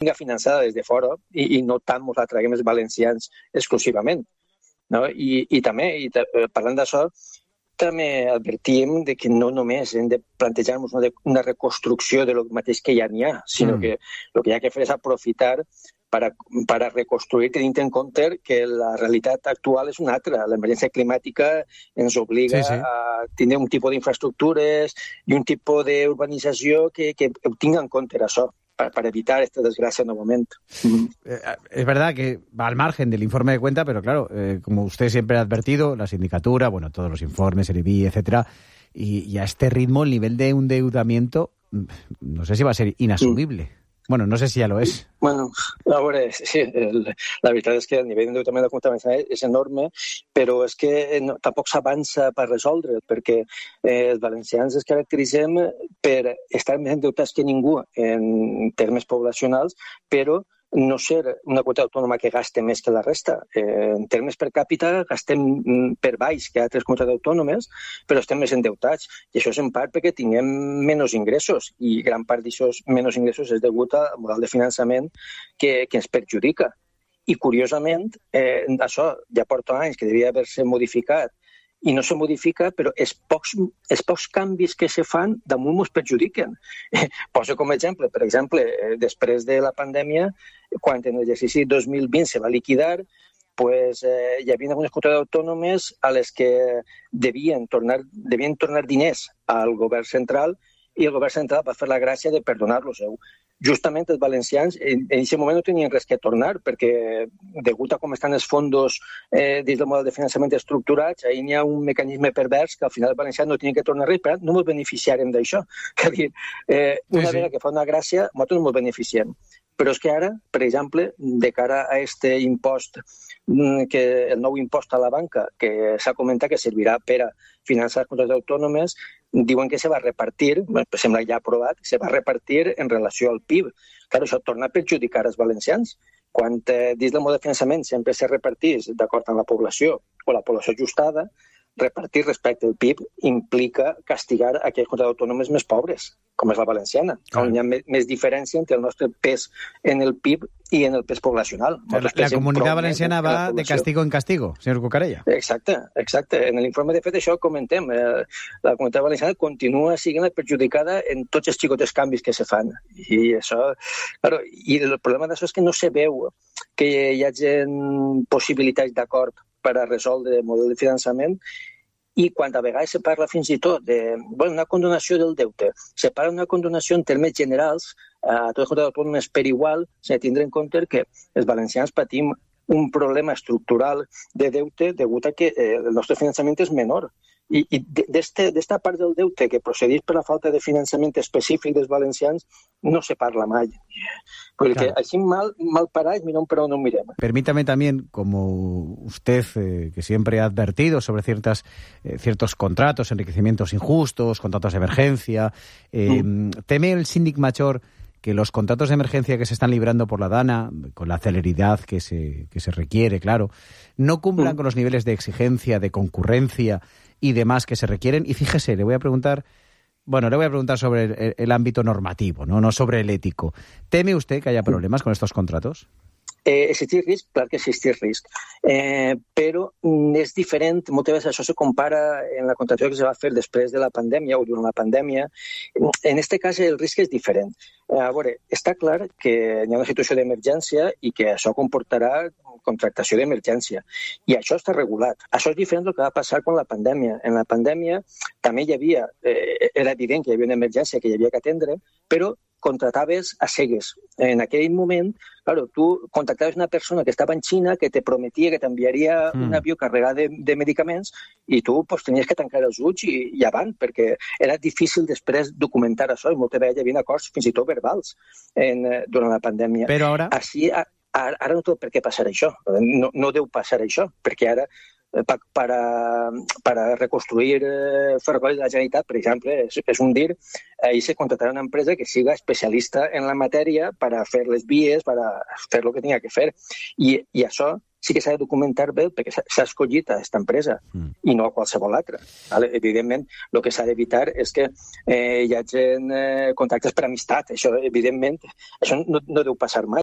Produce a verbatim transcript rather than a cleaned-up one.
vinga finançada des de fora i, i no tant ens la traguem els valencians exclusivament. No? I, i també, i parlant d'això, també advertíem de que no només hem de plantejar-nos una, una reconstrucció de lo mateix que ja n'hi ha, sinó mm. que el que hi ha que fer és aprofitar per a, per a reconstruir, tenint en compte que la realitat actual és una altra. L'emergència climàtica ens obliga sí, sí. a tenir un tipus d'infraestructures i un tipus d'urbanització que, que ho tingui en compte això. Para evitar esta desgracia nuevamente. Eh, es verdad que va al margen del informe de cuenta, pero claro, eh, como usted siempre ha advertido, la sindicatura, bueno, todos los informes, el I B I, etcétera, y, y a este ritmo el nivel de endeudamiento, no sé si va a ser inasumible. Mm. Bueno, no sé si ja lo és. Bueno, a veure, sí, el, la veritat és que el nivell d'endeutament de la Comunitat Valenciana és enorme, però és que no, tampoc s'avança per resoldre, perquè eh, els valencians es caracteritzem per estar més endeutats que ningú en termes poblacionals, però no ser una quota autònoma que gaste més que la resta. Eh, en termes per càpita gastem per baix que altres comunitats autònomes, però estem més endeutats. I això és en part perquè tinguem menys ingressos, i gran part d'aquests menys ingressos és degut al model de finançament que, que ens perjudica. I, curiosament, eh, això ja porta anys que devia haver-se modificat i no se modifica, però els pocs, els pocs canvis que se fan damunt ens perjudiquen. Eh, poso com a exemple, per exemple, eh, després de la pandèmia, quan en l'exercici dos mil vint se va liquidar, pues, eh, hi havia algunes comunitats autònomes a les que devien tornar, devien tornar diners al govern central i el govern central va fer la gràcia de perdonar-los. Justament els valencians en aquest moment no tenien res que tornar, perquè degut a com estan els fondos eh, dins del model de finançament estructurats, ahir n'hi ha un mecanisme pervers que al final els valencians no tenien que tornar res, però no ens beneficiarem d'això. És dir, eh, una sí, sí. vegada que fa una gràcia, nosaltres no ens beneficiem. Però és que ara, per exemple, de cara a aquest impost, que el nou impost a la banca, que s'ha comentat que servirà per a finançar les comunitats autònomes, diuen que se va repartir, sembla ja aprovat, se va repartir en relació al P I B. Clar, això torna a perjudicar els valencians. Quan eh, dins del model de finançament sempre se repartís d'acord amb la població o la població ajustada, repartir respecte al P I B implica castigar aquelles comunitats autònomes més pobres, com és la valenciana, on hi ha més, més diferència entre el nostre pes en el P I B i en el pes poblacional. La, la comunitat valenciana va de castigo en castigo, senyor Cucarella. Exacte, exacte. En l'informe, de fet, això comentem. Eh, la comunitat valenciana continua sent perjudicada en tots els xicotes canvis que se fan. I això, claro, i el problema d'això és que no se veu que hi hagi possibilitats d'acord per a resoldre el model de finançament, i quan a vegades se parla fins i tot de bueno, una condonació del deute, se parla d'una condonació en termes generals a totes les comunitats autònomes per igual, s'ha de tindre en compte que els valencians patim un problema estructural de deute degut a que eh, el nostre finançament és menor. I, i d'esta part del deute que procedís per la falta de finançament específic dels valencians no se parla mai. Porque claro. Así mal, mal paráis, mira un pero no miremos. Permítame también, como usted, eh, que siempre ha advertido sobre ciertas, eh, ciertos contratos, enriquecimientos injustos, contratos de emergencia, eh, mm. ¿teme el síndic major que los contratos de emergencia que se están librando por la DANA, con la celeridad que se, que se requiere, claro, no cumplan mm. con los niveles de exigencia, de concurrencia y demás que se requieren? Y fíjese, le voy a preguntar, bueno, le voy a preguntar sobre el, el ámbito normativo, ¿no? No sobre el ético. ¿Teme usted que haya problemas con estos contratos? Eh, existir risc, clar que existir risc, eh, però és diferent, moltes vegades això se compara en la contractació que se va fer després de la pandèmia o durant la pandèmia. En aquest cas el risc és diferent. A veure, està clar que hi ha una situació d'emergència i que això comportarà contractació d'emergència. I això està regulat. Això és diferent del que va passar amb la pandèmia. En la pandèmia també hi havia, eh, era evident que hi havia una emergència que hi havia que atendre, però contrataves a cegues. En aquell moment, claro, tu contactaves una persona que estava en Xina, que te prometia que t'enviaria mm. un avió carregat de, de medicaments i tu pues, tenies que tancar els ulls i, i avant, perquè era difícil després documentar això i moltes vegades hi havia acords fins i tot verbals en, durant la pandèmia. Però ara... Així, ara, ara no té per què passar això. No, no deu passar això, perquè ara para, para reconstruir eh, ferrocarrils de la Generalitat, per exemple, és, és un dir, ahí se contratarà una empresa que siga especialista en la matèria para fer les vies, para fer el que tinga que fer. I, i això sí que s'ha de documentar bé perquè s'ha escollit a aquesta empresa mm. i no a qualsevol altra. Vale? Evidentment, el que s'ha d'evitar és que eh, hi hagi eh, contactes per amistat. Això, evidentment, això no, no deu passar mai.